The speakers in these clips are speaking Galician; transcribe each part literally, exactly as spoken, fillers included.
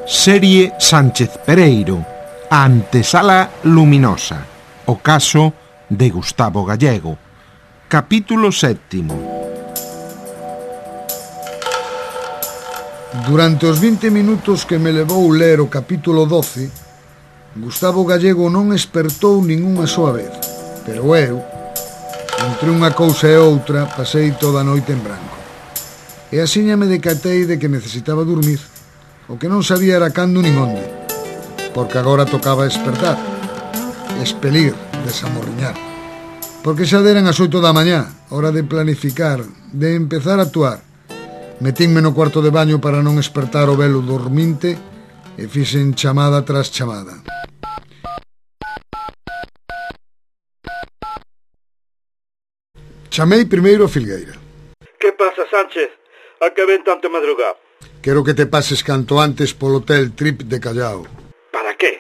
Serie Sánchez Pereiro, a antesala luminosa, o caso de Gustavo Gallego. Capítulo sétimo. Durante os vinte minutos que me levou ler o capítulo doce, Gustavo Gallego non espertou ningunha soa vez, pero eu, entre unha cousa e outra, pasei toda a noite en branco. E asiña me decatei de que necesitaba dormir. O que non sabía era cando nin onde, porque agora tocaba despertar, expelir, desamorriñar. Porque xa deran as oito da mañá, hora de planificar, de empezar a actuar. Metínme no cuarto de baño para non espertar o velo dorminte e fixen chamada tras chamada. Chamei primeiro a Filgueira. Que pasa, Sánchez? A que ven tanto madrugar? Quero que te pases canto antes polo hotel Trip de Callao. Para qué?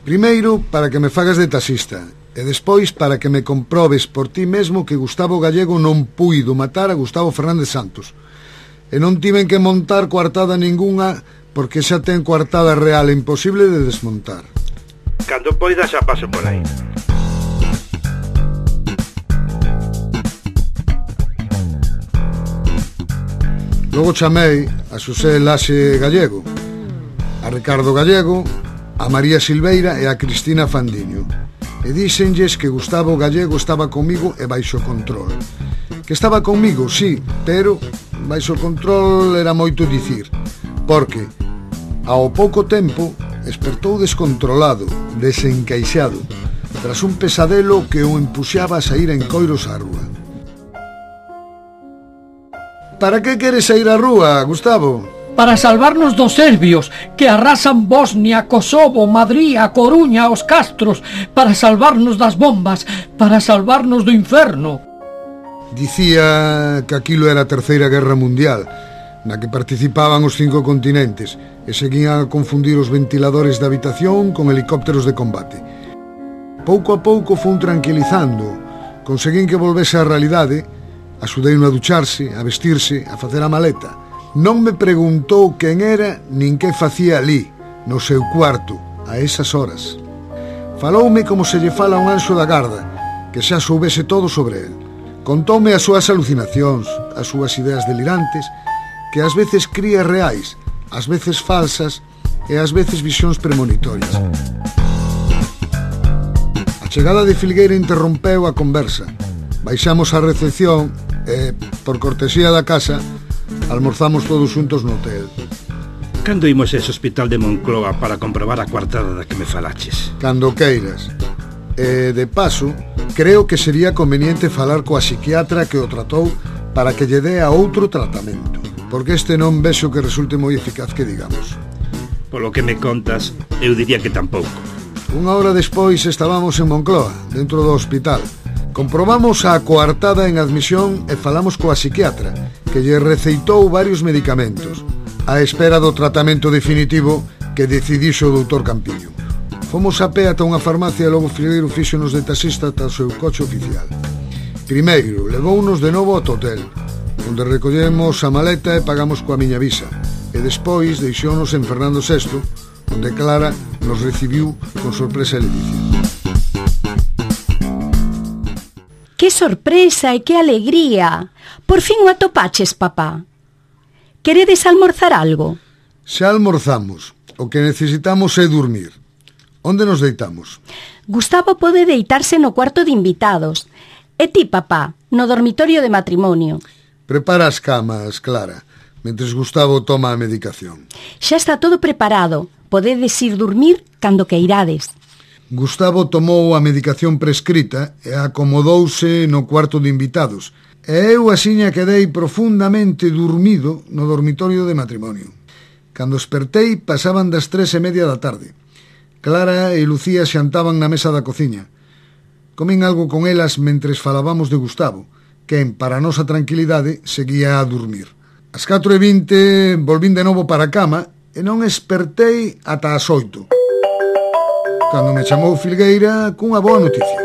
Primeiro, para que me fagas de taxista, e despois para que me comprobes por ti mesmo que Gustavo Gallego non puido matar a Gustavo Fernández Santos. E non tiven que montar coartada ningunha, porque xa ten coartada real e imposible de desmontar. Cando poida xa paso por aí. Logo chamei a Xosé Laxe Gallego, a Ricardo Gallego, a María Silveira e a Cristina Fandiño. E díxenlles que Gustavo Gallego estaba comigo e baixo control. Que estaba comigo, sí, pero baixo control era moito dicir, porque ao pouco tempo despertou descontrolado, desencaixado, tras un pesadelo que o empuxaba a sair en coiros á rúa. Para que queres sair á rúa, Gustavo? Para salvarnos dos serbios que arrasan Bosnia, Kosovo, Madrid, a Coruña, os Castros, para salvarnos das bombas, para salvarnos do inferno. Dicía que aquilo era a Terceira Guerra Mundial, na que participaban os cinco continentes e seguían a confundir os ventiladores de habitación con helicópteros de combate. Pouco a pouco fun tranquilizando, conseguín que volvese á realidade. Axudei-no a ducharse, a vestirse, a facer a maleta. Non me preguntou quen era nin que facía ali, no seu cuarto, a esas horas. Faloume como se lle fala a un anxo da garda, que xa soubese todo sobre el. Contoume as súas alucinacións, as súas ideas delirantes, que ás veces cría reais, ás veces falsas e ás veces visións premonitorias. A chegada de Filgueira interrompeu a conversa. Baixamos á recepción e, por cortesía da casa, almorzamos todos xuntos no hotel. Cando imos a ese hospital de Moncloa para comprobar a coartada da que me falaches? Cando queiras. E, de paso, creo que sería conveniente falar coa psiquiatra que o tratou para que lle dea outro tratamento, porque este non vexo que resulte moi eficaz que digamos. Polo que me contas, eu diría que tampouco. Unha hora despois estábamos en Moncloa, dentro do hospital. Comprobamos a coartada en admisión e falamos coa psiquiatra, que lle receitou varios medicamentos, á espera do tratamento definitivo que decidixo o doutor Campiño. Fomos a pé ata unha farmacia e logo Filgueiro fíxonos de taxista ata o seu coche oficial. Primeiro, levounos de novo ao hotel, onde recollemos a maleta e pagamos coa miña visa, e despois deixounos en Fernando sexto, onde Clara nos recibiu con sorpresa e ledicia. Que sorpresa e que alegría! Por fin o atopaches, papá. Queredes almorzar algo? Xa almorzamos. O que necesitamos é dormir. Onde nos deitamos? Gustavo pode deitarse no cuarto de invitados. E ti, papá, no dormitorio de matrimonio. Prepara as camas, Clara, mentres Gustavo toma a medicación. Xa está todo preparado. Podedes ir dormir cando queirades. Gustavo tomou a medicación prescrita e acomodouse no cuarto de invitados, e eu asiña quedei profundamente dormido no dormitorio de matrimonio. Cando espertei pasaban das tres e media da tarde. Clara e Lucía xantaban na mesa da cociña. Comín algo con elas mentres falábamos de Gustavo, quen, para a nosa tranquilidade, seguía a dormir. As catro e vinte volvín de novo para a cama e non espertei ata as oito. Cando me chamou Filgueira cunha boa noticia.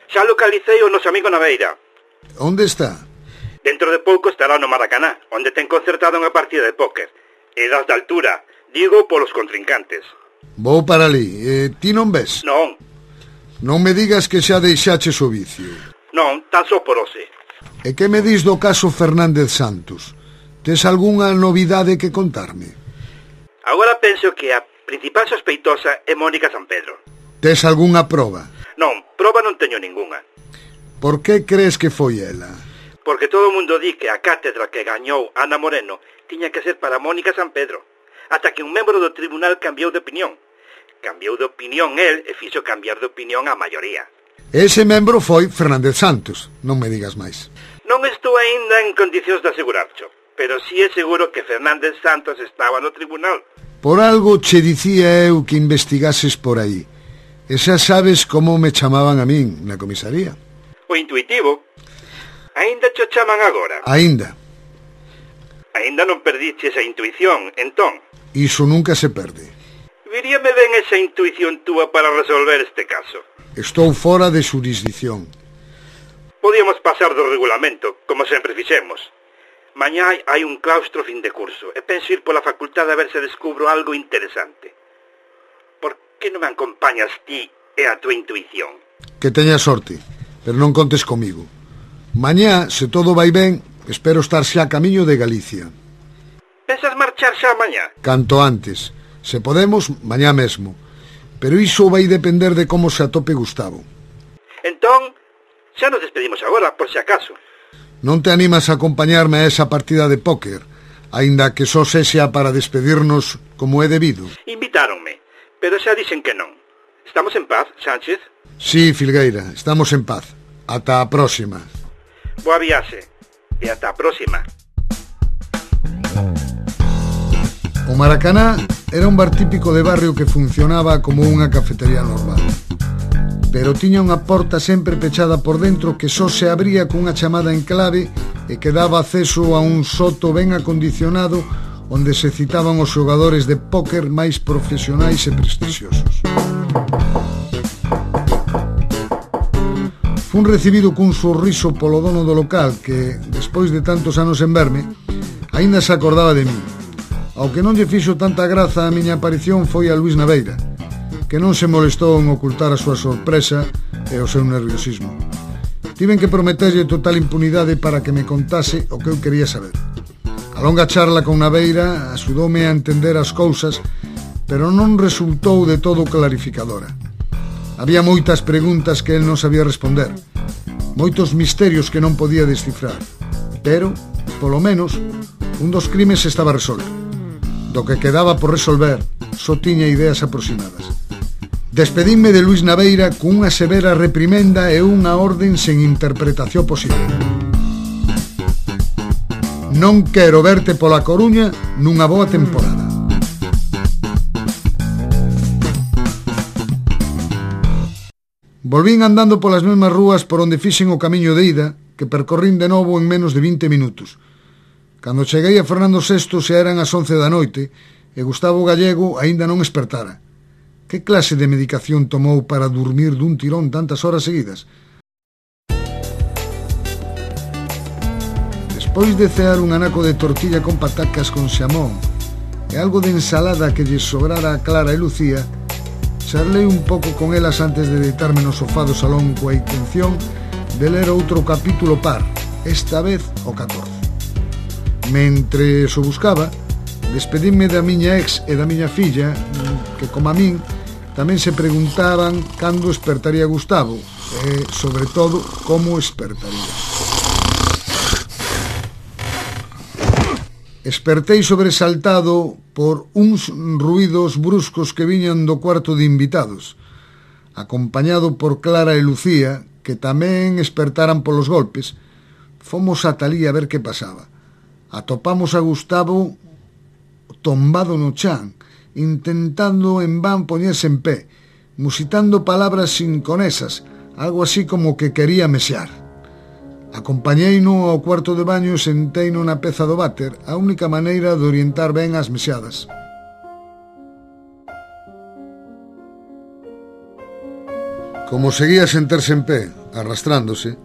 Xa localicei o noso amigo Naveira. Onde está? Dentro de pouco estará no Maracaná, onde ten concertada unha partida de póker. E das de altura, digo polos contrincantes. Vou para ali. Eh, ti non ves? Non, Non me digas que xa deixaches o vicio. non, tan só por hoxe. E que me dis do caso Fernández Santos? Tes algunha novidade que contarme? Agora penso que a principal sospeitosa é Mónica San Pedro. Tes algunha proba? Non, proba non teño ningunha. Por que crees que foi ela? Porque todo o mundo di que a cátedra que gañou Ana Moreno tiña que ser para Mónica San Pedro, ata que un membro do tribunal cambiou de opinión. Cambiou de opinión el e fixo cambiar de opinión a maioría. Ese membro foi Fernández Santos, non me digas máis. Non estou aínda en condicións de asegurarcho, pero si é seguro que Fernández Santos estaba no tribunal. Por algo che dicía eu que investigases por aí. E xa sabes como me chamaban a min na comisaría. O intuitivo. Aínda cho chaman agora. Aínda. Aínda non perdiche esa intuición, entón. Iso nunca se perde. Viríame ben esa intuición túa para resolver este caso. Estou fora de xurisdición. Podíamos pasar do regulamento, como sempre fixemos. Mañá hai un claustro fin de curso e penso ir pola facultade a ver se descubro algo interesante. Por que non me acompañas ti e a tua intuición? Que teñas sorte, pero non contes comigo. Mañá, se todo vai ben, espero estar xa a camiño de Galicia. Pensas marchar xa mañá? Canto antes. Se podemos, mañá mesmo. Pero iso vai depender de como se atope Gustavo. Entón, xa nos despedimos agora, por si acaso. Non te animas a acompañarme a esa partida de póker, aínda que só sexa para despedirnos como é debido? Invitáronme, pero xa dixen que non. Estamos en paz, Sánchez? Sí, Filgueira, estamos en paz. Ata a próxima. Boa viaxe, e ata a próxima. O Maracaná era un bar típico de barrio que funcionaba como unha cafetería normal. Pero tiña unha porta sempre pechada por dentro que só se abría cunha chamada en clave e que daba acceso a un soto ben acondicionado onde se citaban os xogadores de póker máis profesionais e prestixiosos. Fun recibido cun sorriso polo dono do local que, despois de tantos anos en verme, aínda se acordaba de mí. Ao que non lle fixo tanta graza a miña aparición foi a Luís Naveira, que non se molestou en ocultar a súa sorpresa e o seu nerviosismo. Tiven que prometerlle total impunidade para que me contase o que eu quería saber. A longa charla con Naveira axudoume a entender as cousas, pero non resultou de todo clarificadora. Había moitas preguntas que el non sabía responder, moitos misterios que non podía descifrar, pero, polo menos, un dos crimes estaba resolto. Do que quedaba por resolver, só tiña ideas aproximadas. Despedinme de Luís Naveira cunha severa reprimenda e unha orden sen interpretación posible. Non quero verte pola Coruña nunha boa temporada. Volvín andando polas mesmas rúas por onde fixen o camiño de ida, que percorrín de novo en menos de vinte minutos. Cando cheguei a Fernando sexto xa eran as once da noite e Gustavo Gallego aínda non espertara. Que clase de medicación tomou para dormir dun tirón tantas horas seguidas? Despois de cear un anaco de tortilla con patacas con xamón e algo de ensalada que lle sobrara a Clara e Lucía, charlei un pouco con elas antes de deitarme no sofá do salón coa intención de ler outro capítulo par, esta vez o catorce. Mentre o buscaba, despedinme da miña ex e da miña filla, que, como a min, tamén se preguntaban cando espertaría Gustavo e, sobre todo, como espertaría. Espertei sobresaltado por uns ruídos bruscos que viñan do cuarto de invitados, acompañado por Clara e Lucía, que tamén espertaran polos golpes. Fomos ata alí a ver que pasaba. Atopamos a Gustavo tombado no chan, intentando en van poñerse en pé, musitando palabras sinconesas, algo así como que quería mesear. Acompañeino ao cuarto de baño e senteino na peza do váter, a única maneira de orientar ben as meseadas. Como seguía sen terse en pé, arrastrándose,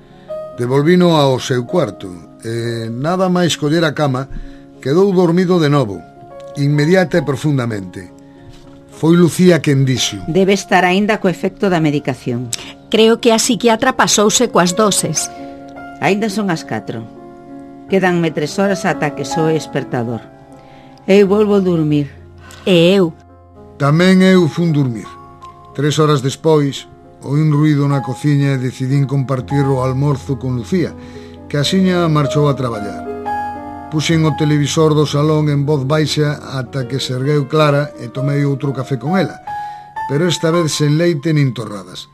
devolvino ao seu cuarto e, nada máis coller a cama, quedou dormido de novo, inmediata e profundamente. Foi Lucía quen dixo: Debe estar aínda co efecto da medicación. Creo que a psiquiatra pasouse coas doses. Aínda son as catro. Quedanme tres horas ata que soe espertador. Eu volvo a dormir. E eu? Tamén eu fun dormir. Tres horas despois, oí un ruído na cociña e decidín compartir o almorzo con Lucía, que axiña marchou a traballar. Puxen o televisor do salón en voz baixa ata que se ergueu Clara e tomei outro café con ela, pero esta vez sen leite nin torradas.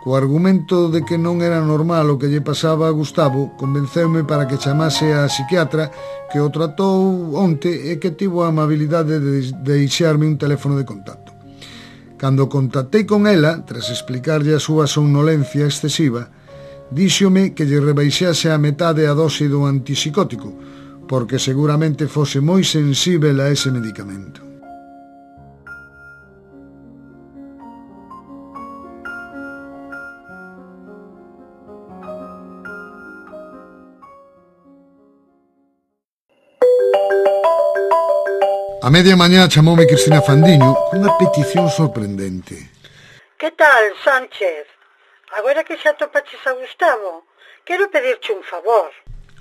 Co argumento de que non era normal o que lle pasaba a Gustavo, convenceume para que chamase a psiquiatra que o tratou onte e que tivo a amabilidade de deixarme un teléfono de contacto. Cando contactei con ela, tras explicarlle a súa somnolencia excesiva, díxome que lle rebaixase a metade a dose do antipsicótico, porque seguramente fose moi sensível a ese medicamento. A media mañá chamoume Cristina Fandiño cunha petición sorprendente. Que tal, Sánchez? Agora que xa topaches a Gustavo, quero pedirche un favor.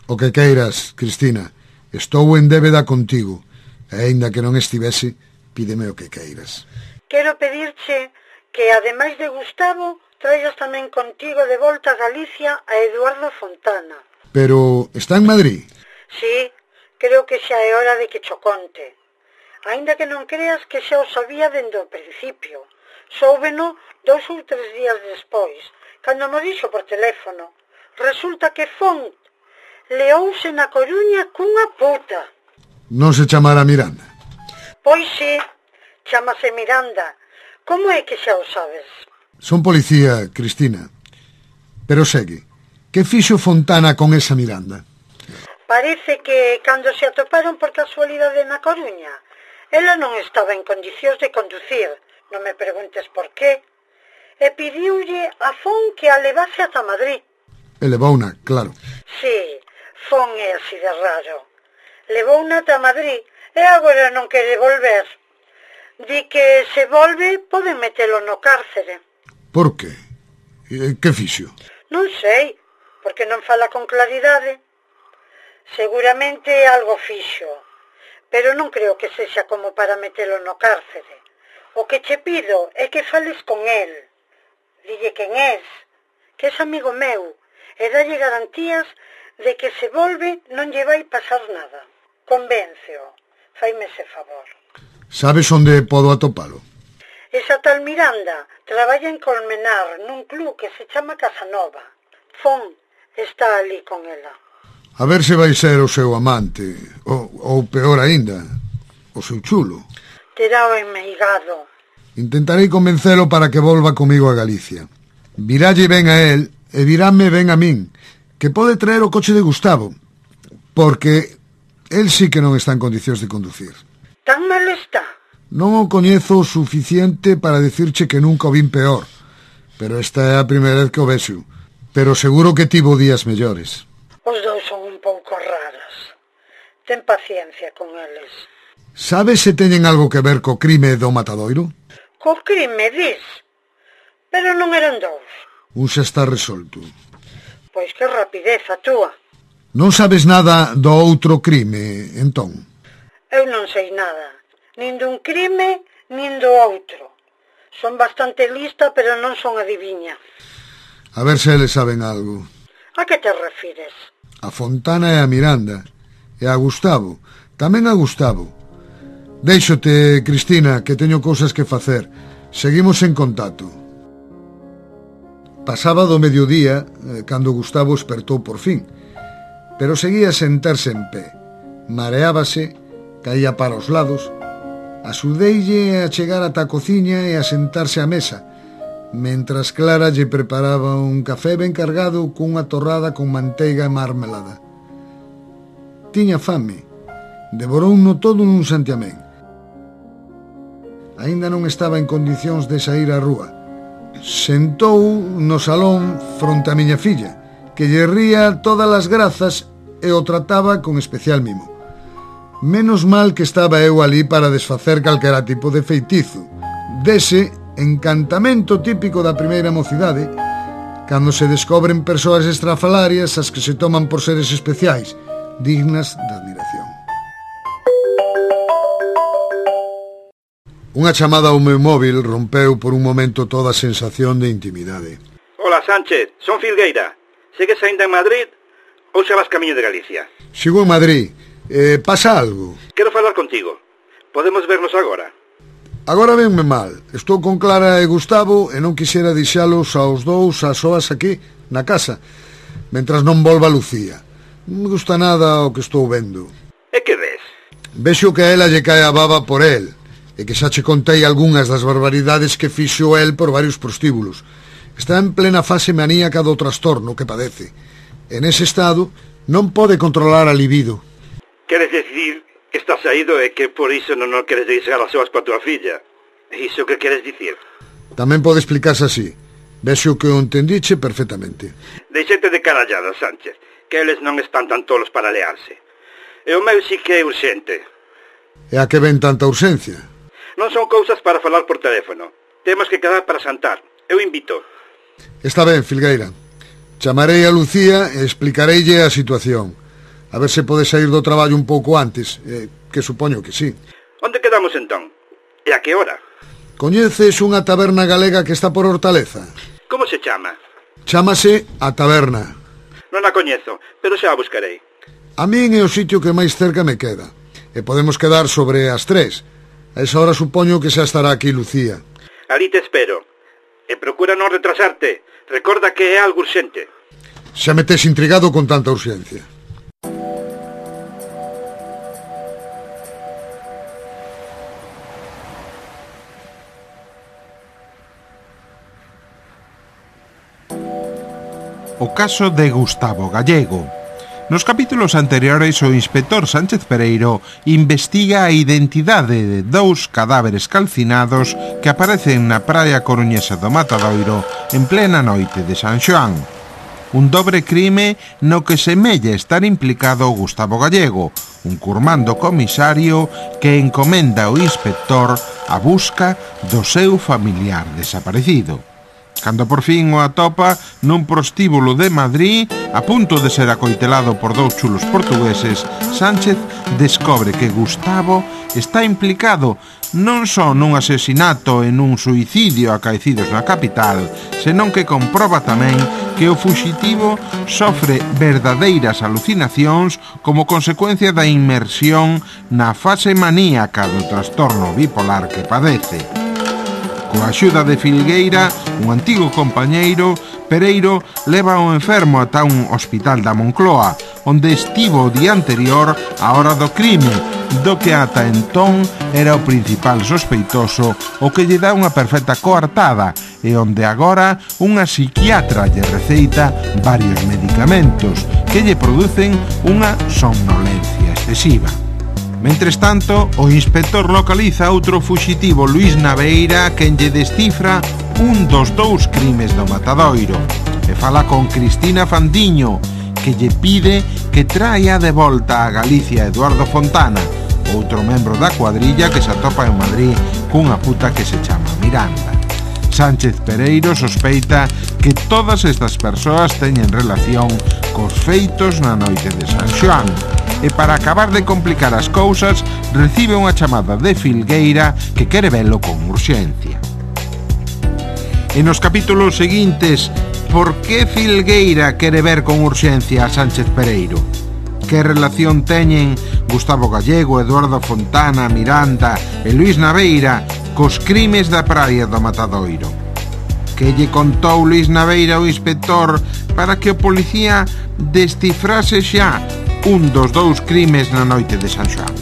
O que queiras, Cristina. Estou en débeda contigo. E aínda que non estivese, pídeme o que queiras. Quero pedirche que, ademais de Gustavo, traigas tamén contigo de volta a Galicia a Eduardo Fontana. Pero está en Madrid? Sí, creo que xa é hora de que cho conte. Aínda que non creas que xa o sabía dende o principio. Soubeno dous ou tres días despois, cando mo dixo por teléfono. Resulta que Font leouse na Coruña cunha puta. Non se chamará Miranda? Pois sí, chámase Miranda. Como é que xa o sabes? Son policía, Cristina. Pero segue, que fixo Fontana con esa Miranda? Parece que cando se atoparon por casualidade na Coruña, ela non estaba en condicións de conducir, non me preguntes por qué, e pidiulle a Fon que a levase ata Madrid. Elevouna, claro. Sí, Fon é así de raro. Levouna ata Madrid e agora non quere volver. Di que se volve pode metelo no cárcere. Por qué? Que fixo? Non sei, porque non fala con claridade. Seguramente algo fixo, pero non creo que sexa como para metelo no cárcere. O que che pido é que fales con el. Dille quen és, que é amigo meu, e dalle garantías de que se volve non lle vai pasar nada. Convénceo, faime ese favor. Sabes onde podo atopalo? Esa tal Miranda traballa en Colmenar nun club que se chama Casanova. Fon está ali con ela. A ver se vai ser o seu amante, ou, ou peor aínda, o seu chulo. Terá o enmeigado. Intentarei convencelo para que volva comigo a Galicia. Viralle ben a él e virame ben a min, que pode traer o coche de Gustavo, porque el sí que non está en condicións de conducir. Tan mal está? Non o coñezo o suficiente para decirche que nunca o vin peor, pero esta é a primeira vez que o vexo. Pero seguro que tivo días mellores. Os dous son un pouco raros. Ten paciencia con eles. Sabes se teñen algo que ver co crime do Matadoiro? Co crime, dis? Pero non eran dous. Un xa está resolto. Pois que rapidez a túa. Non sabes nada do outro crime, entón? Eu non sei nada. Nin dun crime, nin do outro. Son bastante lista, pero non son adiviña. A ver se eles saben algo. A que te refires? A Fontana e a Miranda. E a Gustavo. Tamén a Gustavo. Déixote, Cristina, que teño cousas que facer. Seguimos en contacto. Pasaba do mediodía, cando Gustavo espertou por fin, pero seguía a sentarse en pé. Mareábase, caía para os lados. Axudeille a chegar ata a cociña e a sentarse á mesa, mentras Clara lle preparaba un café ben cargado cunha torrada con manteiga e marmelada. Tiña fame, devorouno todo nun santiamén. Aínda non estaba en condicións de saír á rúa. Sentou no salón fronte a miña filla, que lle ría todas as grazas e o trataba con especial mimo. Menos mal que estaba eu ali para desfacer calquera tipo de feitizo. Dese encantamento típico da primeira mocidade, cando se descobren persoas estrafalarias as que se toman por seres especiais, dignas de admiración. Unha chamada ao meu móvil rompeu por un momento toda a sensación de intimidade. Hola, Sánchez, son Filgueira. Segues ainda en Madrid ou xa vas camiño de Galicia? Sigo en Madrid. Eh, pasa algo? Quero falar contigo. Podemos vernos agora? Agora venme mal. Estou con Clara e Gustavo e non quixera deixalos aos dous as soas aquí, na casa, mentras non volva Lucía. Non me gusta nada o que estou vendo. E que ves? Vexo que a ela lle cae a baba por el, e que xa che contei algunhas das barbaridades que fixo el por varios prostíbulos. Está en plena fase maníaca do trastorno que padece. En ese estado non pode controlar a libido. Queres decir que estás saído e que por iso non o queres deixar as soas coa tua filla? Iso que queres dicir? Tamén pode explicarse así. Vexo que o entendiche perfectamente. Deixete de carallada, Sánchez, que eles non están tan tolos para learse. E o meu sí que é urxente. E a que ven tanta urxencia? Non son cousas para falar por teléfono. Temos que quedar para xantar. Eu invito. Está ben, Filgueira. Chamarei a Lucía e explicareille a situación. A ver se pode sair do traballo un pouco antes, eh, que supoño que sí. Onde quedamos entón? E a que hora? Coñeces unha taberna galega que está por Hortaleza? Como se chama? Chámase A Taberna. Non a coñezo, pero xa a buscarei. A min é o sitio que máis cerca me queda. E podemos quedar sobre as tres. A esa hora supoño que xa estará aquí Lucía. Ali te espero. E procura non retrasarte. Recorda que é algo urxente. Xa me tes intrigado con tanta urxencia. O caso de Gustavo Gallego. Nos capítulos anteriores, o inspector Sánchez Pereiro investiga a identidade de dous cadáveres calcinados que aparecen na praia coruñesa do Matadoiro en plena noite de San Xoán. Un dobre crime no que semella estar implicado Gustavo Gallego, un curmando comisario que encomenda ao inspector a busca do seu familiar desaparecido. Cando por fin o atopa nun prostíbulo de Madrid, a punto de ser acoitelado por dous chulos portugueses, Sánchez descobre que Gustavo está implicado non só nun asesinato e nun suicidio acaecidos na capital, senón que comproba tamén que o fuxitivo sofre verdadeiras alucinacións como consecuencia da inmersión na fase maníaca do trastorno bipolar que padece. Coa axuda de Filgueira, un antigo compañeiro, Pereiro leva o enfermo ata un hospital da Moncloa, onde estivo o día anterior á hora do crime, do que ata entón era o principal sospeitoso, o que lle dá unha perfecta coartada, e onde agora unha psiquiatra lle receita varios medicamentos que lle producen unha somnolencia excesiva. Mentres tanto, o inspector localiza outro fuxitivo, Luís Naveira, quen lle descifra un dos dous crimes do Matadoiro, e fala con Cristina Fandiño, que lle pide que traia de volta a Galicia Eduardo Fontana, outro membro da cuadrilla que se atopa en Madrid cunha puta que se chama Miranda. Sánchez Pereiro sospeita que todas estas persoas teñen relación cos feitos na noite de San Xoán, e para acabar de complicar as cousas recibe unha chamada de Filgueira que quere velo con urxencia. E nos capítulos seguintes, por que Filgueira quere ver con urxencia a Sánchez Pereiro? Que relación teñen Gustavo Gallego, Eduardo Fontana, Miranda e Luís Naveira cos crimes da praia do Matadoiro? Que lle contou Luís Naveira ao inspector para que o policía descifrase xa un dos dous crimes na noite de San Xoán?